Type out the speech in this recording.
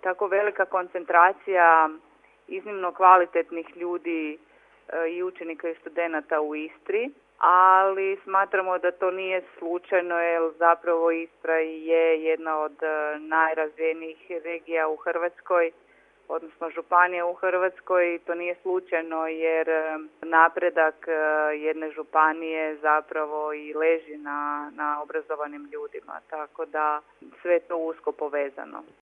tako velika koncentracija iznimno kvalitetnih ljudi i učenika i studenata u Istri, ali smatramo da to nije slučajno jer zapravo Istra je jedna od najrazvijenijih regija u Hrvatskoj, odnosno županija u Hrvatskoj. To nije slučajno jer napredak jedne županije zapravo i leži na obrazovanim ljudima, tako da sve je to usko povezano.